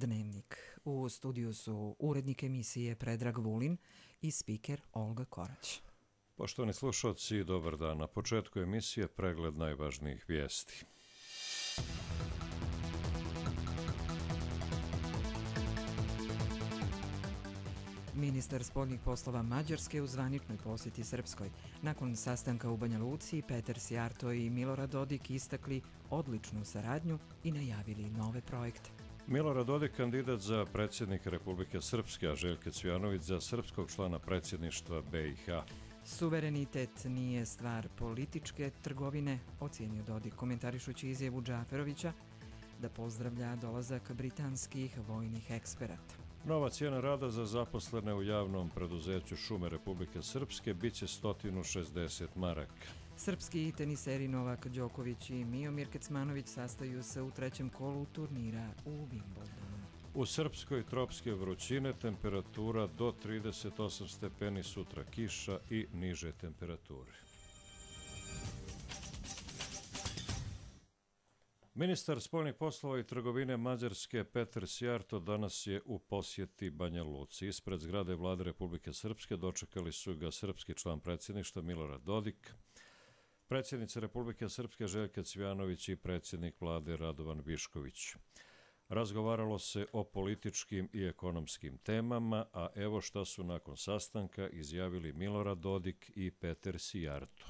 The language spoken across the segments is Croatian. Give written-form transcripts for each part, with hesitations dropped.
Dnevnik. U studiju su urednik emisije Predrag Vulin i spiker Olga Korać. Poštovani slušalci, dobar dan. Na početku emisije pregled najvažnijih vijesti. Ministar spoljnih poslova Mađarske u zvaničnoj posjeti Srpskoj. Nakon sastanka u Banja Luci, Peter Sijarto i Milorad Dodik istakli odličnu saradnju i najavili nove projekte. Milorad Dodik kandidat za predsjednika Republike Srpske, a Željko Cvijanović za srpskog člana predsjedništva BiH. Suverenitet nije stvar političke trgovine, ocijenio Dodik komentarišući izjavu Džaferovića da pozdravlja dolazak britanskih vojnih eksperata. Nova cijena rada za zaposlene u javnom preduzeću Šume Republike Srpske biće 160 maraka. Srpski teniseri Novak Đoković i Miomir Kecmanović sastaju se u trećem kolu turnira u Wimbledonu. U Srpskoj tropske vrućine, temperatura do 38 stepeni, sutra kiša i niže temperature. Ministar spoljnih poslova i trgovine Mađarske Peter Sijarto danas je u posjeti Banja Luci. Ispred zgrade Vlade Republike Srpske dočekali su ga srpski član predsjedništva Milorad Dodik, predsjednica Republike Srpske Željka Cvijanović i predsjednik Vlade Radovan Višković. Razgovaralo se o političkim i ekonomskim temama, a evo šta su nakon sastanka izjavili Milorad Dodik i Peter Sijarto.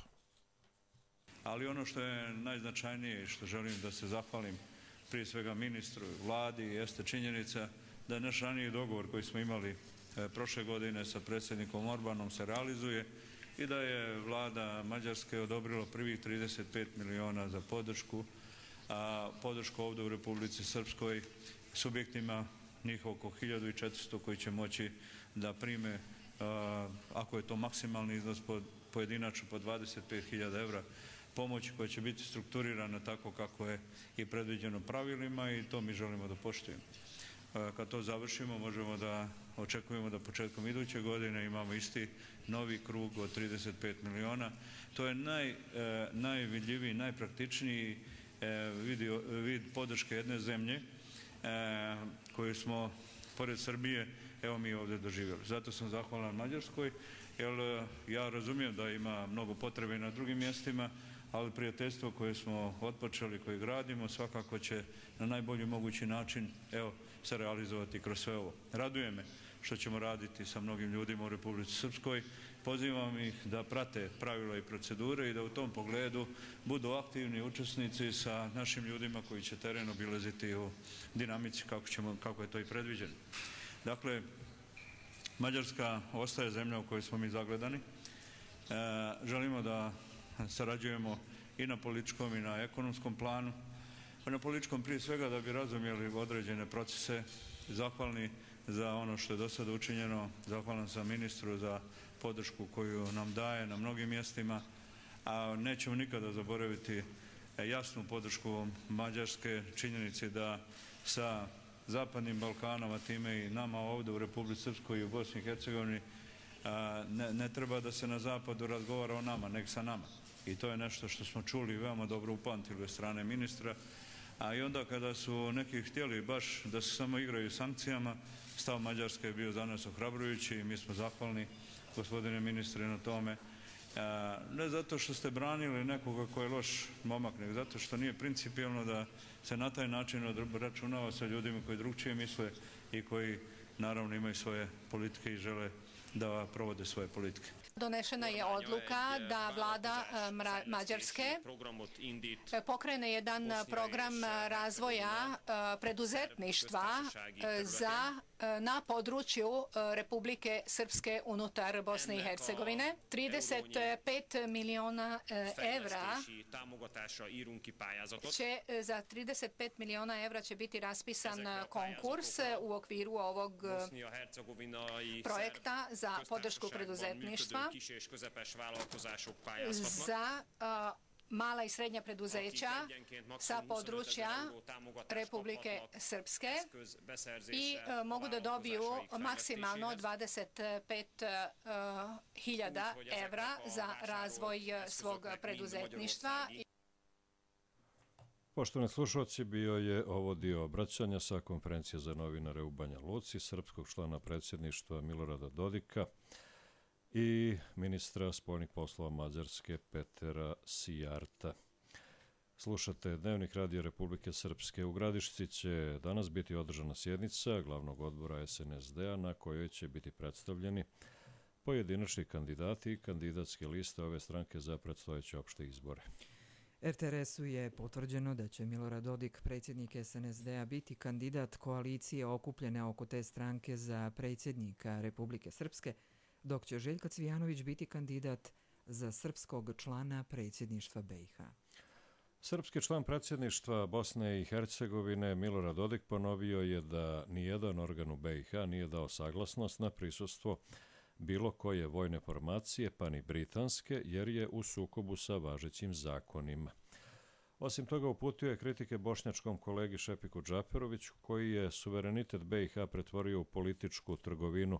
Ali ono što je najznačajnije i što želim da se zahvalim prije svega ministru i vladi jeste činjenica da je naš raniji dogovor koji smo imali prošle godine sa predsjednikom Orbanom se realizuje i da je vlada Mađarske odobrila prvih 35 miliona za podršku, a podršku ovdje u Republici Srpskoj subjektima njih oko 1400 koji će moći da prime, ako je to maksimalni iznos pojedinačno po 25.000 evra, pomoći koja će biti strukturirana tako kako je i predviđeno pravilima i to mi želimo da poštujemo. Kad to završimo, možemo da očekujemo da početkom iduće godine imamo isti novi krug od 35 miliona. To je najvidljiviji, najpraktičniji vid podrške jedne zemlje koju smo, pored Srbije, evo mi ovdje doživjeli. Zato sam zahvalan Mađarskoj, jer ja razumijem da ima mnogo potrebe na drugim mjestima, ali prijateljstvo koje smo otpočeli, koje gradimo, svakako će na najbolji mogući način se realizovati kroz sve ovo. Raduje me što ćemo raditi sa mnogim ljudima u Republici Srpskoj. Pozivam ih da prate pravila i procedure i da u tom pogledu budu aktivni učesnici sa našim ljudima koji će teren obilaziti u dinamici kako je to i predviđeno. Dakle, Mađarska ostaje zemlja u kojoj smo mi zagledani. Želimo da sarađujemo i na političkom i na ekonomskom planu. Na političkom prije svega da bi razumjeli određene procese, zahvalni za ono što je do sada učinjeno, zahvalan sam ministru za podršku koju nam daje na mnogim mjestima, a nećemo nikada zaboraviti jasnu podršku Mađarske, činjenici da sa Zapadnim Balkanom, a time i nama ovdje u Republici Srpskoj i u Bosni i Hercegovini ne treba da se na zapadu razgovara o nama, nek sa nama. I to je nešto što smo čuli i veoma dobro upamtili od strane ministra. A i onda kada su neki htjeli baš da se samo igraju sankcijama, stav Mađarske je bio za nas ohrabrujući i mi smo zahvalni, gospodine ministre, na tome. Ne zato što ste branili nekoga ko je loš momak, nego zato što nije principijelno da se na taj način obračunava sa ljudima koji drugčije misle i koji naravno imaju svoje politike i žele da provode svoje politike. Donešena je odluka da vlada Mađarske pokrene jedan program razvoja preduzetništva na području Republike Srpske unutar Bosne i Hercegovine. 35 miliona evra za 35 miliona evra će biti raspisan konkurs u okviru ovog projekta za podršku preduzetništva za mala i srednja preduzeća sa područja Republike Srpske i mogu da dobiju maksimalno 25.000 evra za razvoj svog preduzetništva. Poštovani slušalci, bio je ovo dio obraćanja sa konferencije za novinare u Banja Luci, srpskog člana predsjedništva Milorada Dodika i ministra spoljnih poslova Mađarske Petera Sijarta. Slušate Dnevnik Radio Republike Srpske. U Gradišci će danas biti održana sjednica glavnog odbora SNSD-a na kojoj će biti predstavljeni pojedinačni kandidati i kandidatske liste ove stranke za predstojeće opšte izbore. RTRS-u je potvrđeno da će Milorad Dodik, predsjednik SNSD-a, biti kandidat koalicije okupljene oko te stranke za predsjednika Republike Srpske, dok će Željko Cvijanović biti kandidat za srpskog člana predsjedništva BiH. Srpski član predsjedništva Bosne i Hercegovine Milorad Dodik ponovio je da nijedan organ u BiH nije dao saglasnost na prisustvo bilo koje vojne formacije, pa ni britanske, jer je u sukobu sa važećim zakonima. Osim toga, uputio je kritike bošnjačkom kolegi Šefiku Džaferoviću, koji je suverenitet BiH pretvorio u političku trgovinu,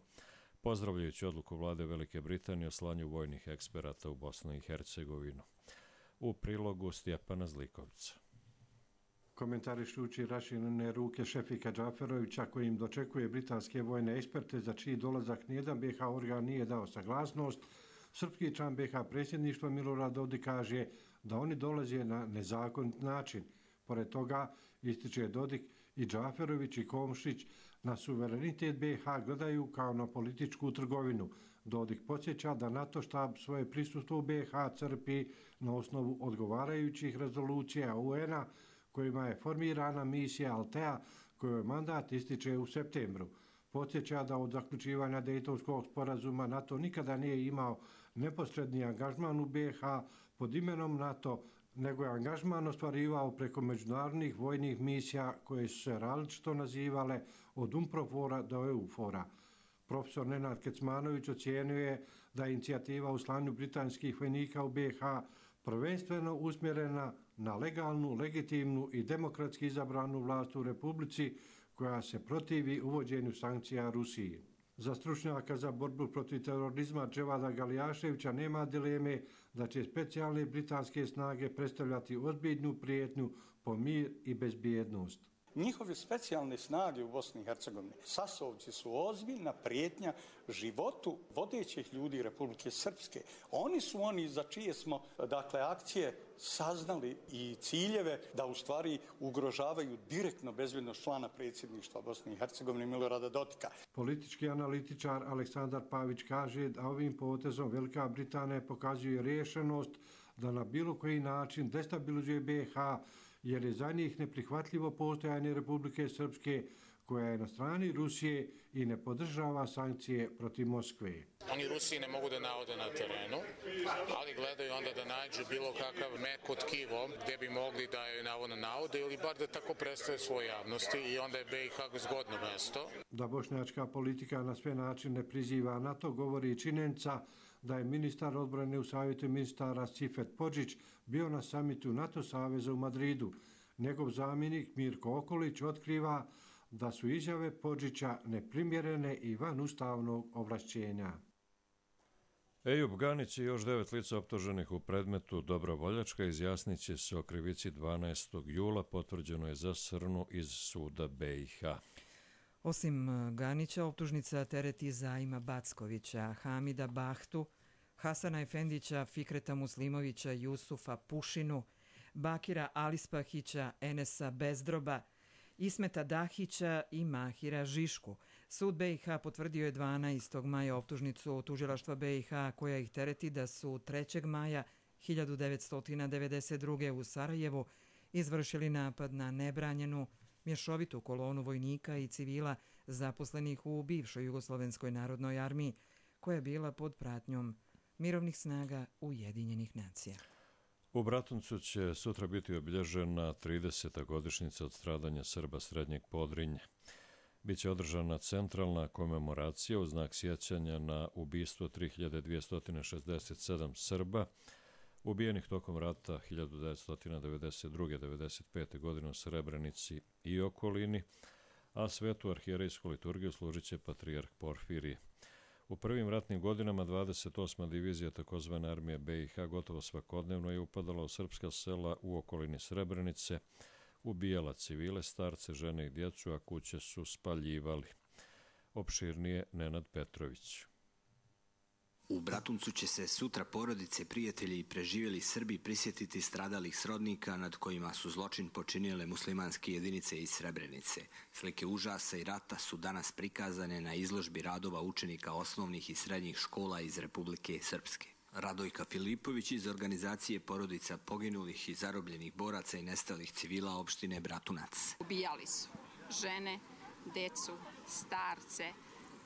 pozdravljajući odluku vlade Velike Britanije o slanju vojnih eksperata u Bosnu i Hercegovinu. U prilogu Stjepana Zlikovca. Komentarišući raširene ruke Šefika Džaferovića kojim dočekuje britanske vojne eksperte za čiji dolazak nijedan BiH organ nije dao saglasnost, srpski član BiH predsjedništva Milorad Dodik kaže da oni dolaze na nezakonit način. Pored toga, ističe Dodik, i Džaferović i Komšić na suverenitet BiH gledaju kao na političku trgovinu. Dodik podsjeća da NATO štab svoje prisustvo u BiH crpi na osnovu odgovarajućih rezolucija UN-a kojima je formirana misija Altea, kojoj mandat ističe u septembru. Podsjeća da od zaključivanja Dejtonskog sporazuma NATO nikada nije imao neposredni angažman u BiH pod imenom NATO, nego je angažman ostvarivao preko međunarodnih vojnih misija koje su se različito nazivale od UNPROFOR-a do EUFOR-a. Profesor Nenad Kecmanović ocijenio da je inicijativa u slanju britanskih vojnika u BiH prvenstveno usmjerena na legalnu, legitimnu i demokratski izabranu vlast u Republici koja se protivi uvođenju sankcija Rusiji. Za stručnjaka za borbu protiv terorizma Dževada Galijaševića nema dileme da će specijalne britanske snage predstavljati ozbiljnu prijetnju po mir i bezbjednost. Njihove specijalne snage u Bosni i Hercegovini, sasovci su ozbiljna prijetnja životu vodećih ljudi Republike Srpske. Oni su oni za čije smo, akcije saznali i ciljeve da u stvari ugrožavaju direktno bezbjednost člana predsjedništva Bosne i Hercegovine Milorada Dodika. Politički analitičar Aleksandar Pavić kaže da ovim potezom Velika Britanija pokazuje rješenost da na bilo koji način destabilizuje BiH, jer je za njih neprihvatljivo postojanje Republike Srpske koja je na strani Rusije i ne podržava sankcije protiv Moskve. Oni Rusiji ne mogu da naode na terenu, ali gledaju onda da nađu bilo kakav meko tkivo gdje bi mogli da joj navodno naude ili bar da tako predstave svoje javnosti i onda je BiH zgodno mesto. Da bošnjačka politika na sve načine priziva NATO govori i činjenica da je ministar odbrane u savjetu ministara Cifet Podžić bio na samitu NATO saveza u Madridu. Njegov zamjenik Mirko Okolić otkriva da su izjave Podžića neprimjerene i van ustavnog ovlašćenja. Ejub Ganić i još 9 lica optuženih u predmetu Dobrovoljačka izjasnit će se o krivici 12. jula, potvrđeno je za Srnu iz suda BiH. Osim Ganića, optužnica tereti Zaima Backovića, Hamida Bahtu, Hasana Efendića, Fikreta Muslimovića, Jusufa Pušinu, Bakira Alispahića, Enesa Bezdroba, Ismeta Dahića i Mahira Žišku. Sud BiH potvrdio je 12. maja optužnicu tužilaštva BiH koja ih tereti da su 3. maja 1992. u Sarajevu izvršili napad na nebranjenu mješovitu kolonu vojnika i civila zaposlenih u bivšoj Jugoslovenskoj narodnoj armiji koja je bila pod pratnjom mirovnih snaga Ujedinjenih nacija. U Bratuncu će sutra biti obilježena 30. godišnjica od stradanja Srba Srednjeg Podrinja. Biće održana centralna komemoracija u znak sjećanja na ubistvo 3267 Srba ubijenih tokom rata 1992-1995. godine u Srebrenici i okolini, a svetu arhijerejsku liturgiju služit će patrijarh Porfirije. U prvim ratnim godinama 28. divizija takozvane armije BiH gotovo svakodnevno je upadala u srpska sela u okolini Srebrenice, ubijala civile, starce, žene i djecu, a kuće su spaljivali. Opširnije Nenad Petrović. U Bratuncu će se sutra porodice, prijatelji i preživjeli Srbi prisjetiti stradalih srodnika nad kojima su zločin počinile muslimanske jedinice iz Srebrenice. Slike užasa i rata su danas prikazane na izložbi radova učenika osnovnih i srednjih škola iz Republike Srpske. Radojka Filipović iz organizacije porodica poginulih i zarobljenih boraca i nestalih civila opštine Bratunac. Ubijali su žene, decu, starce,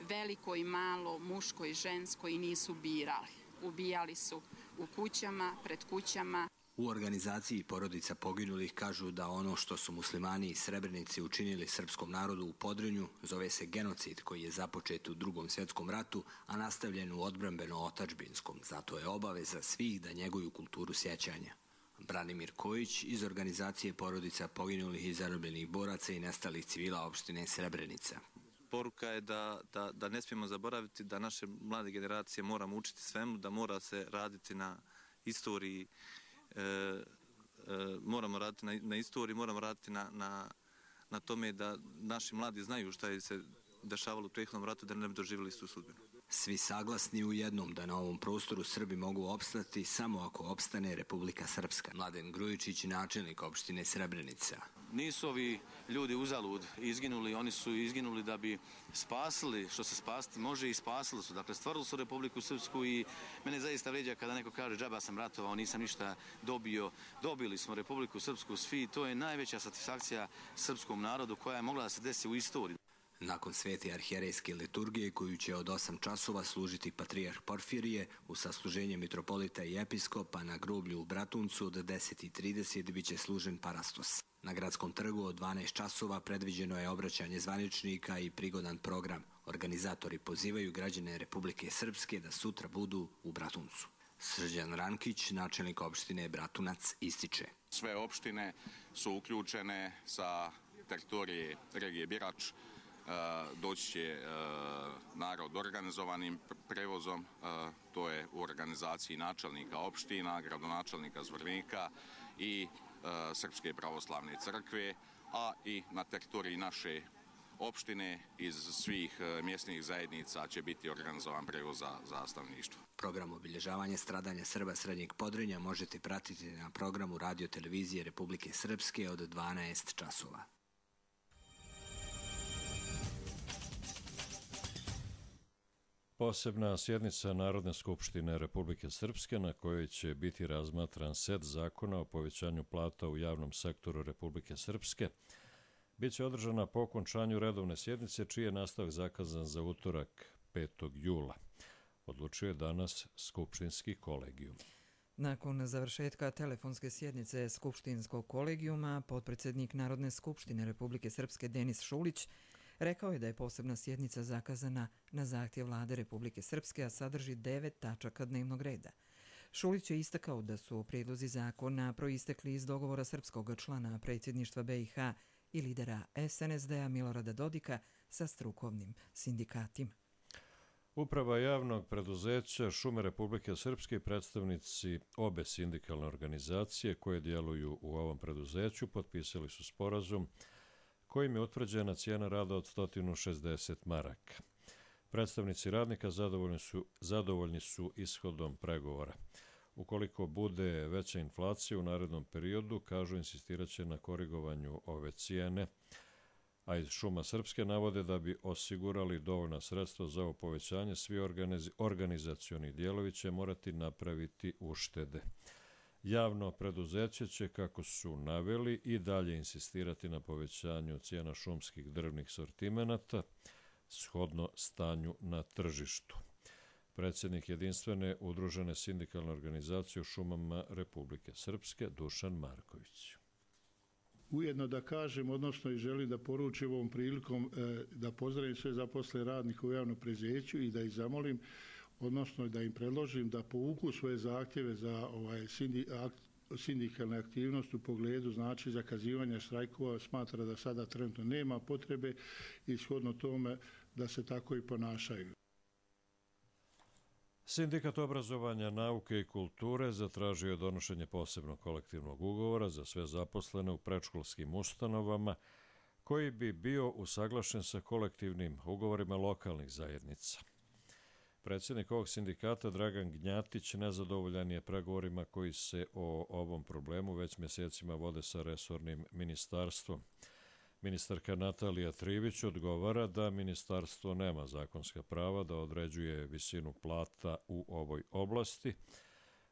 veliko i malo, muško i žensko i nisu birali. Ubijali su u kućama, pred kućama. U organizaciji porodica poginulih kažu da ono što su muslimani iz Srebrenice učinili srpskom narodu u Podrinju zove se genocid koji je započet u Drugom svjetskom ratu, a nastavljen u odbrambeno-otadžbinskom. Zato je obaveza svih da njeguju kulturu sjećanja. Branimir Kojić iz organizacije porodica poginulih i zarobljenih boraca i nestalih civila opštine Srebrenica. Poruka je da ne smijemo zaboraviti da naše mlade generacije moramo učiti svemu, da mora se raditi na istoriji, moramo raditi na istoriji, moramo raditi na tome da naši mladi znaju šta je se dešavalo u prethodnom ratu, da ne bi doživjeli istu sudbinu. Svi saglasni u jednom da na ovom prostoru Srbi mogu opstati samo ako opstane Republika Srpska. Mladen Grujičić, načelnik opštine Srebrenica. Nisu ovi ljudi uzalud izginuli, oni su izginuli da bi spasili što se spasiti može i spasili su. Dakle, stvorili su Republiku Srpsku i mene zaista vređa kada neko kaže džaba sam ratovao, nisam ništa dobio. Dobili smo Republiku Srpsku svi i to je najveća satisfakcija srpskom narodu koja je mogla da se desi u istoriji. Nakon svete arhijerejske liturgije koju će od 8 časova služiti patrijarh Porfirije u sasluženje mitropolita i episkopa na groblju u Bratuncu od 10:30 biće služen parastos. Na gradskom trgu od 12 časova predviđeno je obraćanje zvaničnika i prigodan program. Organizatori pozivaju građane Republike Srpske da sutra budu u Bratuncu. Srđan Rankić, načelnik opštine Bratunac, ističe. Sve opštine su uključene sa teritorije regije Birač. Doći će narod organizovanim prevozom, to je u organizaciji načelnika opština, gradonačelnika Zvornika i Srpske pravoslavne crkve, a i na teritoriji naše opštine iz svih mjesnih zajednica će biti organizovan prevoz za stanovništvo. Program obilježavanja stradanja Srba Srednjeg Podrinja možete pratiti na programu Radio televizije Republike Srpske od 12 časova. Posebna sjednica Narodne skupštine Republike Srpske na kojoj će biti razmatran set zakona o povećanju plata u javnom sektoru Republike Srpske biće održana po okončanju redovne sjednice čiji je nastavak zakazan za utorak 5. jula. Odlučio je danas skupštinski kolegijum. Nakon završetka telefonske sjednice skupštinskog kolegijuma, potpredsjednik Narodne skupštine Republike Srpske Denis Šulić rekao je da je posebna sjednica zakazana na zahtjev Vlade Republike Srpske, a sadrži 9 tačaka dnevnog reda. Šulić je istakao da su prijedlozi zakona proistekli iz dogovora srpskog člana predsjedništva BiH i lidera SNSD-a Milorada Dodika sa strukovnim sindikatima. Uprava javnog preduzeća Šume Republike Srpske i predstavnici obe sindikalne organizacije koje djeluju u ovom preduzeću potpisali su sporazum kojim je utvrđena cijena rada od 160 maraka. Predstavnici radnika zadovoljni su ishodom pregovora. Ukoliko bude veća inflacija u narednom periodu, kažu, insistiraće na korigovanju ove cijene, a iz Šuma Srpske navode da bi osigurali dovoljna sredstva za ovo povećanje, svi organizacioni dijelovi će morati napraviti uštede. Javno preduzeće će, kako su naveli, i dalje insistirati na povećanju cijena šumskih drvnih sortimenata shodno stanju na tržištu. Predsjednik jedinstvene udružene sindikalne organizacije u šumama Republike Srpske Dušan Marković. Ujedno da kažem, odnosno i želim da poručim ovom prilikom da pozdravim sve zaposlene radnike u javnom preduzeću i da ih zamolim, odnosno da im predložim da povuku svoje zahtjeve za sindikalne aktivnosti u pogledu zakazivanja štrajkova. Smatra da sada trenutno nema potrebe i shodno tome da se tako i ponašaju. Sindikat obrazovanja, nauke i kulture zatražio je donošenje posebnog kolektivnog ugovora za sve zaposlene u predškolskim ustanovama koji bi bio usaglašen sa kolektivnim ugovorima lokalnih zajednica. Predsjednik ovog sindikata Dragan Gnjatić nezadovoljan je pregovorima koji se o ovom problemu već mjesecima vode sa resornim ministarstvom. Ministarka Natalija Trivić odgovara da ministarstvo nema zakonska prava da određuje visinu plata u ovoj oblasti,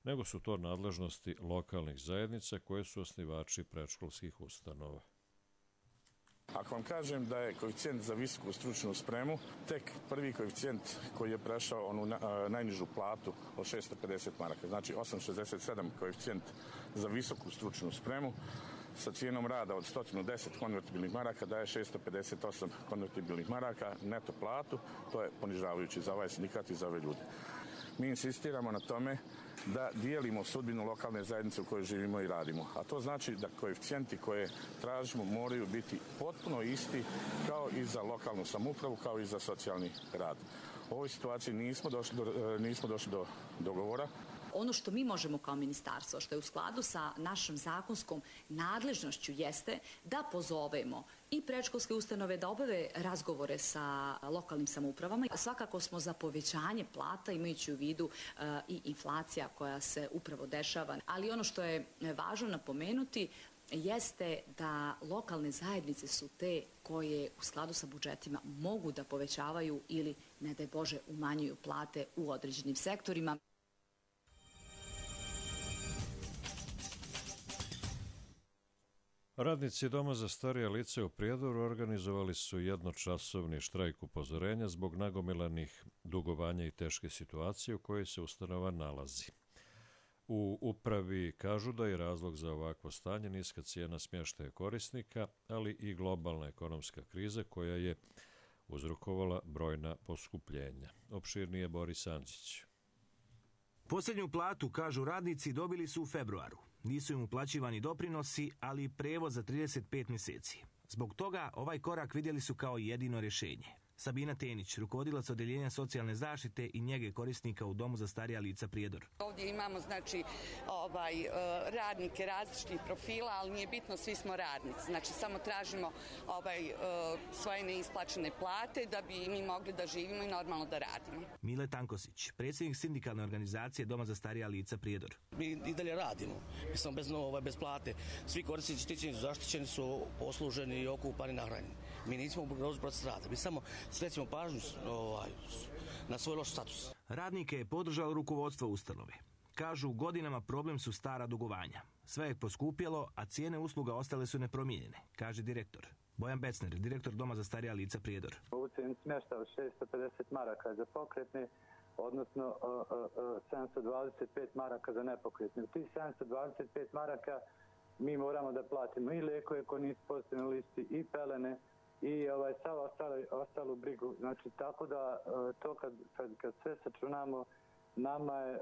nego su to nadležnosti lokalnih zajednica koje su osnivači predškolskih ustanova. Ako vam kažem da je koeficijent za visoku stručnu spremu tek prvi koeficijent koji je prešao onu najnižu platu od 650 maraka, znači 8,67 koeficijent za visoku stručnu spremu sa cijenom rada od 110 konvertibilnih maraka daje 658 konvertibilnih maraka neto platu, to je ponižavajući za ovaj sindikat i za ove ljude. Mi insistiramo na tome da dijelimo sudbinu lokalne zajednice u kojoj živimo i radimo. A to znači da koeficijenti koje tražimo moraju biti potpuno isti kao i za lokalnu samoupravu, kao i za socijalni rad. U ovoj situaciji nismo došli do dogovora. Ono što mi možemo kao ministarstvo, što je u skladu sa našom zakonskom nadležnošću, jeste da pozovemo i predškolske ustanove da obave razgovore sa lokalnim samoupravama. Svakako smo za povećanje plata, imajući u vidu i inflacija koja se upravo dešava. Ali ono što je važno napomenuti jeste da lokalne zajednice su te koje u skladu sa budžetima mogu da povećavaju ili, ne daj Bože, umanjuju plate u određenim sektorima. Radnici Doma za starija lica u Prijedoru organizovali su jednočasovni štrajk upozorenja zbog nagomilanih dugovanja i teške situacije u kojoj se ustanova nalazi. U upravi kažu da je razlog za ovakvo stanje niska cijena smještaja korisnika, ali i globalna ekonomska kriza koja je uzrokovala brojna poskupljenja. Opširnije Boris Andžić. Posljednju platu, kažu radnici, dobili su u februaru. Nisu im uplaćivani doprinosi, ali i prevoz za 35 mjeseci. Zbog toga ovaj korak vidjeli su kao jedino rješenje. Sabina Tenić, rukovodilac Odeljenja socijalne zaštite i njege korisnika u Domu za starija lica Prijedor. Ovdje imamo radnike različitih profila, ali nije bitno, svi smo radnici. Znači samo tražimo svoje neisplaćene plate da bi mi mogli da živimo i normalno da radimo. Mile Tankosić, predsjednik sindikalne organizacije Doma za starija lica Prijedor. Mi i dalje radimo, mi smo bez plate. Svi korisnici štićeni su zaštićeni, su posluženi i okupani, nahranjeni. Mi nismo ugroženi proces rada, mi samo skrećemo pažnju na svoj loš status. Radnike je podržalo rukovodstvo ustanove. Kažu, godinama problem su stara dugovanja. Sve je poskupjelo, a cijene usluga ostale su nepromijenjene, kaže direktor. Bojan Becner, direktor Doma za starija lica Prijedor. Ovu cijenu smješta od 650 maraka za pokretne, odnosno 725 maraka za nepokretne. U tih 725 maraka mi moramo da platimo i lijekove koji nisu pozitivni listi, i pelene, i sav ostalu brigu. Znači, tako da to kad sve sačunamo, nama je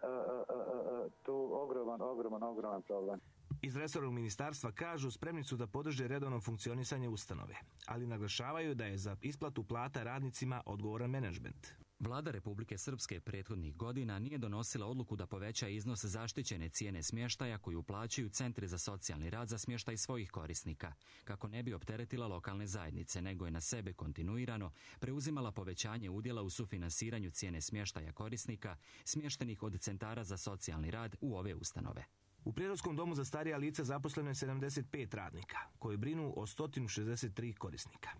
tu ogroman problem. Iz resornog ministarstva kažu spremni su da podrže redovno funkcionisanje ustanove, ali naglašavaju da je za isplatu plata radnicima odgovoran menadžment. Vlada Republike Srpske prethodnih godina nije donosila odluku da poveća iznos zaštićene cijene smještaja koju plaćaju centri za socijalni rad za smještaj svojih korisnika, kako ne bi opteretila lokalne zajednice, nego je na sebe kontinuirano preuzimala povećanje udjela u sufinansiranju cijene smještaja korisnika smještenih od centara za socijalni rad u ove ustanove. U Prijedorskom domu za starija lica zaposleno je 75 radnika, koji brinu o 163 korisnika.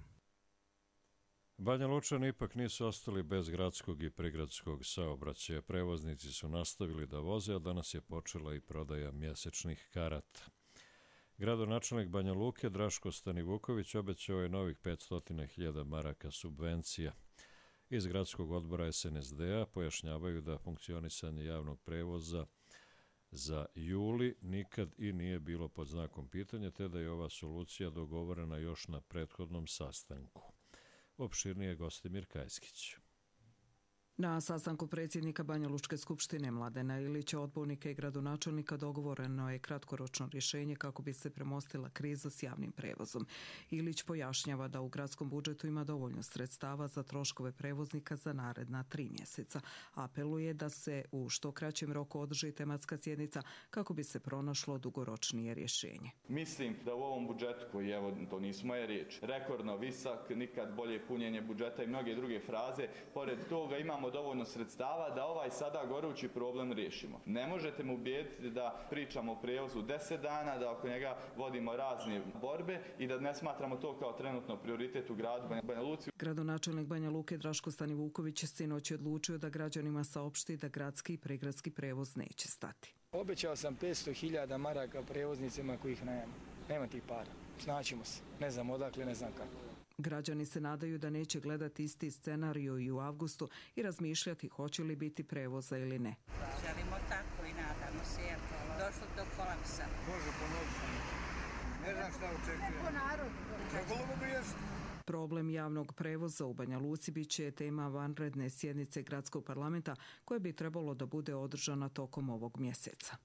Banja Lučani ipak nisu ostali bez gradskog i prigradskog saobraćaja. Prevoznici su nastavili da voze, a danas je počela i prodaja mjesečnih karata. Gradonačelnik Banja Luke Draško Stanivuković obećao je novih 500.000 maraka subvencija. Iz gradskog odbora SNSD-a pojašnjavaju da funkcionisanje javnog prevoza za juli nikad i nije bilo pod znakom pitanja, te da je ova solucija dogovorena još na prethodnom sastanku. Opširnije Gostimir Kajskić. Na sastanku predsjednika Banja Lučke skupštine Mladena Ilića, odbornika i gradonačelnika dogovoreno je kratkoročno rješenje kako bi se premostila kriza s javnim prevozom. Ilić pojašnjava da u gradskom budžetu ima dovoljno sredstava za troškove prevoznika za naredna 3 mjeseca. Apeluje da se u što kraćem roku održi tematska sjednica kako bi se pronašlo dugoročnije rješenje. Mislim da u ovom budžetu, koji evo to nisu moje riječi, rekordno visok, nikad bolje punjenje budžeta i mnoge druge fraze, pored toga imamo dovoljno sredstava da ovaj sada gorući problem riješimo. Ne možete me ubijediti da pričamo o prijevozu 10 dana, da oko njega vodimo razne borbe i da ne smatramo to kao trenutno prioritet u gradu Banja Luci. Gradonačelnik Banja Luke Draško Stanivuković sinoć je odlučio da građanima saopšti da gradski i pregradski prevoz neće stati. Obećao sam 500.000 maraka prevoznicima kojih nema tih para. Snaćemo se. Ne znam odakle, ne znam kako. Građani se nadaju da neće gledati isti scenariju i u avgustu i razmišljati hoće li biti prevoza ili ne. Želimo tako i nadamo se, jer došlo do kolapsa. Bože, pomoći. Ne znam šta očekujem. Trebalo bi riješiti. Problem javnog prevoza u Banja Luci bit će tema vanredne sjednice gradskog parlamenta koja bi trebalo da bude održana tokom ovog mjeseca.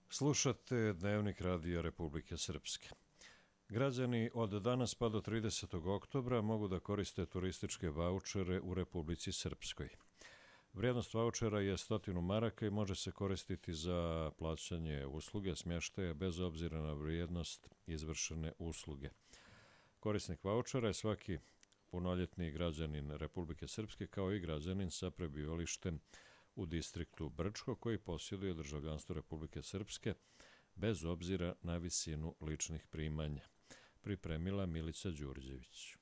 Slušate Dnevnik Radija Republike Srpske. Građani od danas pa do 30. oktobra mogu da koriste turističke vaučere u Republici Srpskoj. Vrijednost vaučera je 100 maraka i može se koristiti za plaćanje usluge smještaja bez obzira na vrijednost izvršene usluge. Korisnik vaučera je svaki punoljetni građanin Republike Srpske kao i građanin sa prebivalištem u distriktu Brčko koji posjeduje državljanstvo Republike Srpske bez obzira na visinu ličnih primanja. Pripremila Milica Đurđević.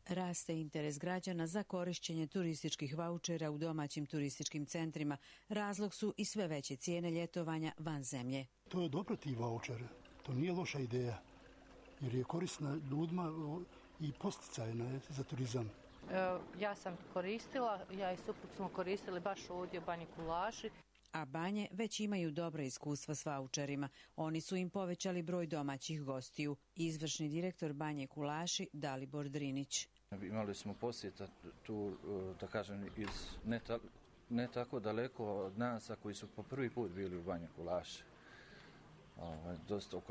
Raste interes građana za korišćenje turističkih vaučera u domaćim turističkim centrima. Razlog su i sve veće cijene ljetovanja van zemlje. To je dobro ti vaučere. To nije loša ideja. Jer je korisna ljudima i posticajna je za turizam. Ja sam koristila, ja i suprug smo koristili baš ovdje u Banji Kulaši. A banje već imaju dobra iskustva s vaučerima. Oni su im povećali broj domaćih gostiju. Izvršni direktor Banje Kulaši Dalibor Drinić. Imali smo posjeta tu, da kažem, iz ne tako daleko od nas, a koji su po prvi put bili u Banji Kulaši. Dosta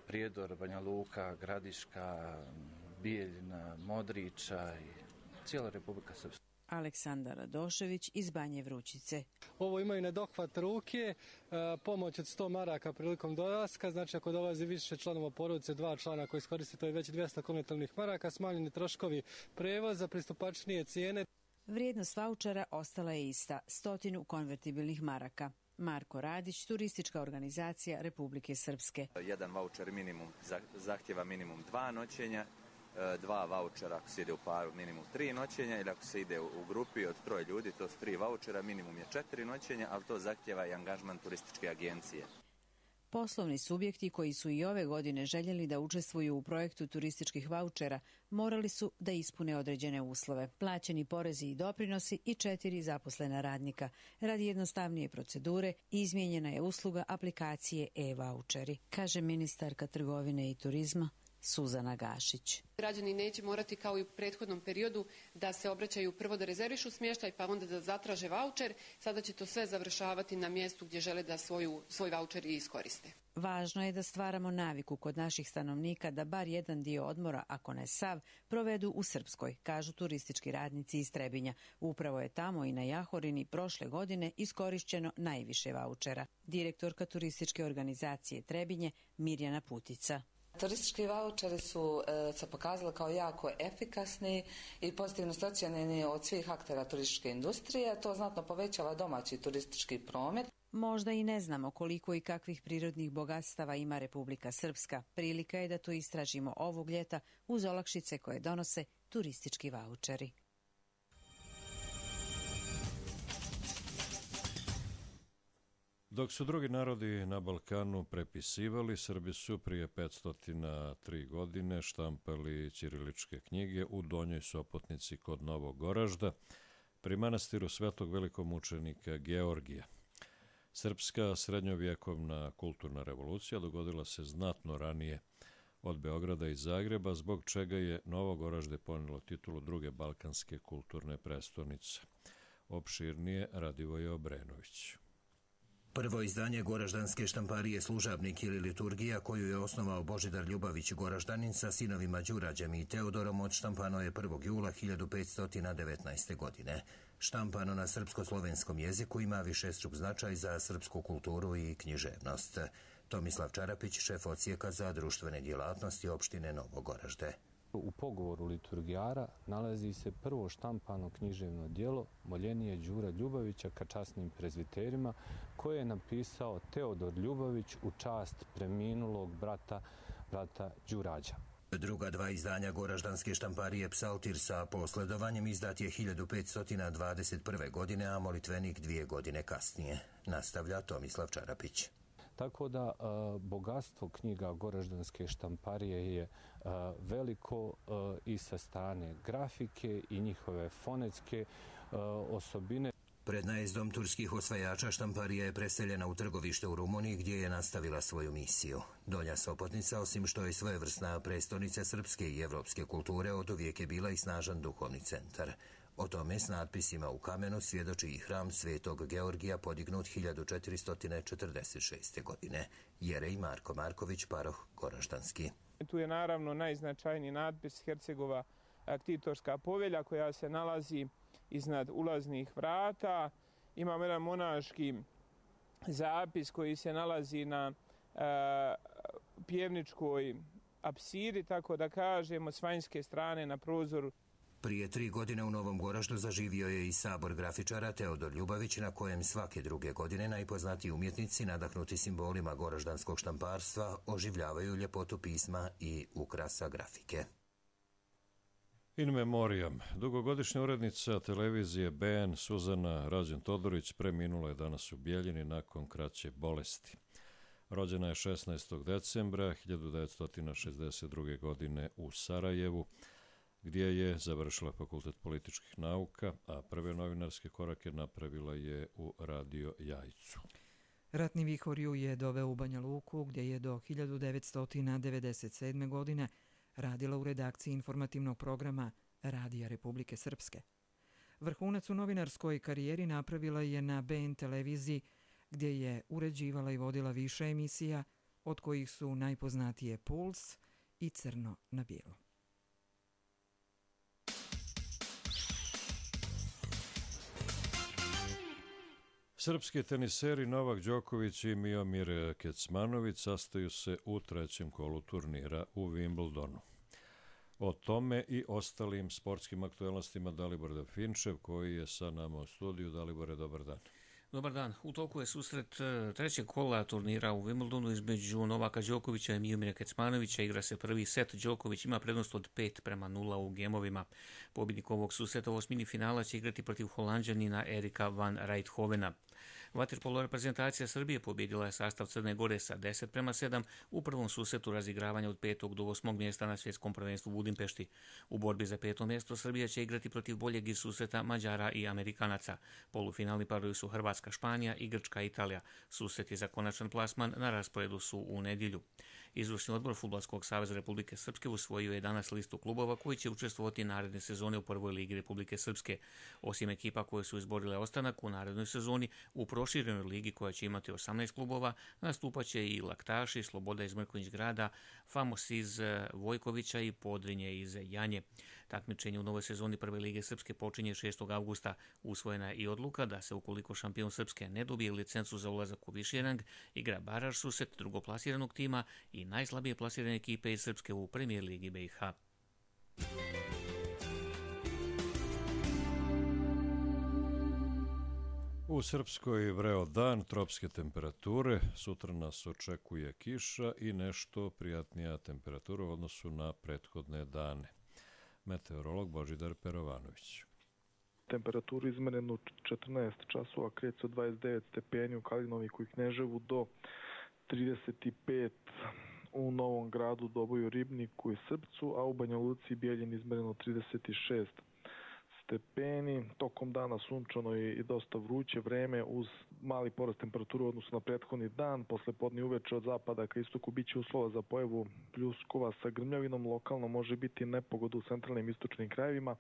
Prijedor, Banja Luka, Gradiška, Bijeljina, Modriča i cijela Republika Srpska. Aleksandar Radošević iz Banje Vrućice. Ovo imaju na dohvat ruke, pomoć od 100 maraka prilikom dolaska, znači ako dolazi više članova porodice, 2 člana koji iskoriste, to je već 200 konvertibilnih maraka, smanjeni troškovi prevoza, pristupačnije cijene. Vrijednost vaučera ostala je ista, 100 konvertibilnih maraka. Marko Radić, turistička organizacija Republike Srpske. Jedan vaučer minimum zahtjeva minimum 2 noćenja, 2 vaučera ako se ide u paru minimum 3 noćenja ili ako se ide u grupi od 3 ljudi, to su 3 vaučera, minimum je 4 noćenja, ali to zahtjeva i angažman turističke agencije. Poslovni subjekti koji su i ove godine željeli da učestvuju u projektu turističkih vaučera morali su da ispune određene uslove. Plaćeni porezi i doprinosi i 4 zaposlena radnika. Radi jednostavnije procedure izmijenjena je usluga aplikacije e-vaučeri, kaže ministarka trgovine i turizma Suzana Gašić. Građani neće morati kao i u prethodnom periodu da se obraćaju prvo da rezervišu smještaj pa onda da zatraže vaučer. Sada će to sve završavati na mjestu gdje žele da svoj vaučer i iskoriste. Važno je da stvaramo naviku kod naših stanovnika da bar jedan dio odmora, ako ne sav, provedu u Srpskoj, kažu turistički radnici iz Trebinja. Upravo je tamo i na Jahorini prošle godine iskorišćeno najviše vaučera. Direktorka turističke organizacije Trebinje Mirjana Putica. Turistički vaučeri su se pokazali kao jako efikasni i pozitivno ocijenjeni od svih aktera turističke industrije. To znatno povećava domaći turistički promet. Možda i ne znamo koliko i kakvih prirodnih bogatstava ima Republika Srpska. Prilika je da to istražimo ovog ljeta uz olakšice koje donose turistički vaučeri. Dok su drugi narodi na Balkanu prepisivali, Srbi su prije 503 godine štampali ćiriličke knjige u Donjoj Sopotnici kod Novog Goražda, pri manastiru svetog velikomučenika Georgija. Srpska srednjovjekovna kulturna revolucija dogodila se znatno ranije od Beograda i Zagreba, zbog čega je Novo Goražde ponelo titulu druge balkanske kulturne prestonice. Opširnije Radivoje Obrenović. Prvo izdanje Goraždanske štamparije Služabnik ili liturgija, koju je osnovao Božidar Ljubavić Goraždanin sa sinovima Đurađem i Teodorom, odštampano je 1. jula 1519. godine. Štampano na srpsko-slovenskom jeziku, ima višestruk značaj za srpsku kulturu i književnost. Tomislav Čarapić, šef odsjeka za društvene djelatnosti opštine Novo Goražde. U pogovoru liturgijara nalazi se prvo štampano književno djelo Moljenije Đura Ljubavića ka časnim prezbiterima, koje je napisao Teodor Ljubavić u čast preminulog brata Đurađa. Druga dva izdanja Goraždanske štamparije Psaltir sa posledovanjem izdat je 1521. godine, a Molitvenik 2 godine kasnije. Nastavlja Tomislav Čarapić. Tako da bogatstvo knjiga Goraždanske štamparije je veliko i sa strane grafike i njihove fonetske osobine. Pred najezdom turskih osvajača štamparija je preseljena u trgovište u Rumuniji, gdje je nastavila svoju misiju. Donja Sopotnica, osim što je svojevrsna prestonica srpske i evropske kulture, oduvijek je bila i snažan duhovni centar. O tome s natpisima u kamenu svjedoči i hram Svetog Georgija, podignut 1446. godine. Jerej Marko Marković, paroh Goraždanski. Tu je naravno najznačajniji natpis Hercegova aktitorska povelja, koja se nalazi iznad ulaznih vrata. Imamo jedan monaški zapis koji se nalazi na pjevničkoj apsidi, tako da kažemo, s vanjske strane na prozoru. Prije 3 godine u Novom Goraždu zaživio je i sabor grafičara Teodor Ljubavić, na kojem svake druge godine najpoznatiji umjetnici, nadahnuti simbolima goraždanskog štamparstva, oživljavaju ljepotu pisma i ukrasa grafike. In memoriam. Dugogodišnja urednica televizije BN Suzana Rađen-Todorić preminula je danas u Bijeljini nakon kraće bolesti. Rođena je 16. decembra 1962. godine u Sarajevu, gdje je završila fakultet političkih nauka, a prve novinarske korake napravila je u Radio Jajcu. Ratni vihor ju je doveo u Banja Luku, gdje je do 1997. godine radila u redakciji informativnog programa Radija Republike Srpske. Vrhunac u novinarskoj karijeri napravila je na BN televiziji, gdje je uređivala i vodila više emisija, od kojih su najpoznatije Puls i Crno na bijelo. Srpski teniseri Novak Đoković i Miomir Kecmanović sastaju se u 3. kolu turnira u Wimbledonu. O tome i ostalim sportskim aktualnostima Dalibor Dafinčev, koji je sa nama u studiju. Dalibore, dobar dan. Dobar dan. U toku je susret 3. kola turnira u Wimbledonu između Novaka Đokovića i Miomira Kecmanovića. Igra se prvi set. Đoković ima prednost od 5-0 u gemovima. Pobjednik ovog susreta u osmini finala će igrati protiv Holanđanina Erika van Rijthovena. Vaterpolo reprezentacija Srbije pobjedila je sastav Crne Gore sa 10-7 u prvom susretu razigravanja od 5. do 8. mjesta na svjetskom prvenstvu u Budimpešti. U borbi za 5. mjesto Srbija će igrati protiv boljeg iz susreta Mađara i Amerikanaca. Polufinalni parovi su Hrvatska, Španija i Grčka, Italija. Susreti za konačan plasman na rasporedu su u nedjelju. Izvršni odbor Fudbalskog saveza Republike Srpske usvojio je danas listu klubova koji će učestvovati naredne sezone u prvoj ligi Republike Srpske. Osim ekipa koje su izborile ostanak u narednoj sezoni, u proširenoj ligi koja će imati 18 klubova, nastupaće i Laktaši, Sloboda iz Mrkonjić Grada, Famos iz Vojkovića i Podrinje iz Janje. Takmičenje u novoj sezoni Prve lige Srpske počinje 6. avgusta. Usvojena je i odluka da se, ukoliko šampion Srpske ne dobije licencu za ulazak u viši rang, igra baraž susret drugoplasiranog tima i najslabije plasirane ekipe iz Srpske u Premijer ligi BiH. U Srpskoj vreo dan, tropske temperature, sutra nas očekuje kiša i nešto prijatnija temperatura u odnosu na prethodne dane. Meteorolog Božidar Perovanović. Temperaturu izmerenu u 14 časova kreće od 29 stepeni u Kalinoviku i Kneževu do 35 u Novom Gradu, Doboju, Ribniku i Srpcu, a u Banja Luci i Bijeljini izmereno 36 stepeni, tokom dana sunčano i dosta vruće vreme uz mali porast temperature u odnosu na prethodni dan. Posle podne uveče od zapada ka istoku biće uslova za pojavu pljuskova sa grmljavinom, lokalno može biti nepogoda u centralnim istočnim krajevima.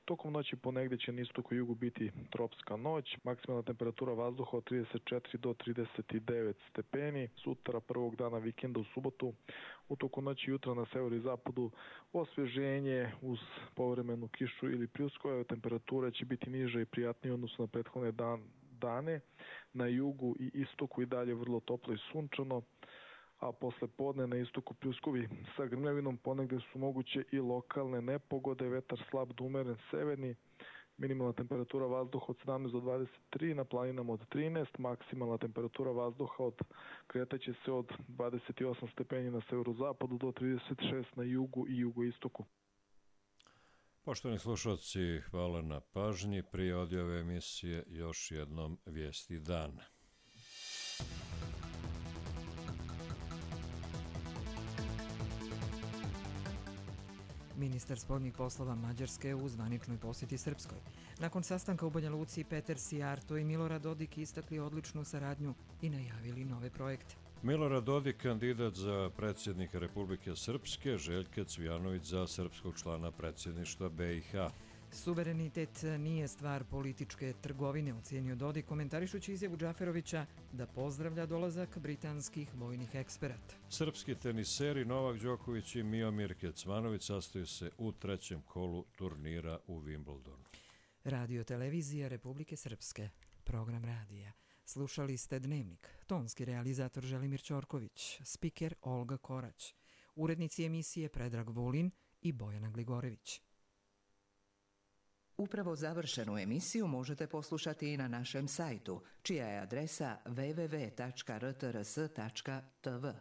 Tokom noći ponegde će na istoku i jugu biti tropska noć, maksimalna temperatura vazduha od 34 do 39 stepeni. Sutra, prvog dana vikenda u subotu, u toku noći jutra na severu i zapadu osveženje uz povremenu kišu ili pljuskove. Temperatura će biti niža i prijatnija u odnosu na prethodne dane. Na jugu i istoku i dalje vrlo toplo i sunčano, a posle podne na istoku pljuskovi sa grmljavinom, ponegde su moguće i lokalne nepogode, vetar slab do umeren severni, minimalna temperatura vazduha od 17 do 23, na planinama od 13, maksimalna temperatura vazduha kretaće se od 28 stepeni na severozapadu do 36 na jugu i jugoistoku. Poštovani slušalci, hvala na pažnji. Prije odjave emisije još jednom vijesti dana. Ministar spoljnih poslova Mađarske u zvaničnoj posjeti Srpskoj. Nakon sastanka u Banja Luci, Peter Sijarto i Milorad Dodik istakli odličnu saradnju i najavili nove projekte. Milorad Dodik, kandidat za predsjednika Republike Srpske, Željka Cvijanović za srpskog člana predsjedništva BiH. Suverenitet nije stvar političke trgovine, ocijenio Dodik, komentarišući izjavu Džaferovića da pozdravlja dolazak britanskih vojnih eksperata. Srpski teniseri Novak Đoković i Miomir Kecmanović sastaju se u trećem kolu turnira u Wimbledonu. Radio televizija Republike Srpske, program radija. Slušali ste Dnevnik, tonski realizator Želimir Ćorković, spiker Olga Korać, urednici emisije Predrag Vulin i Bojana Gligorević. Upravo završenu emisiju možete poslušati i na našem sajtu, čija je adresa www.rtrs.tv.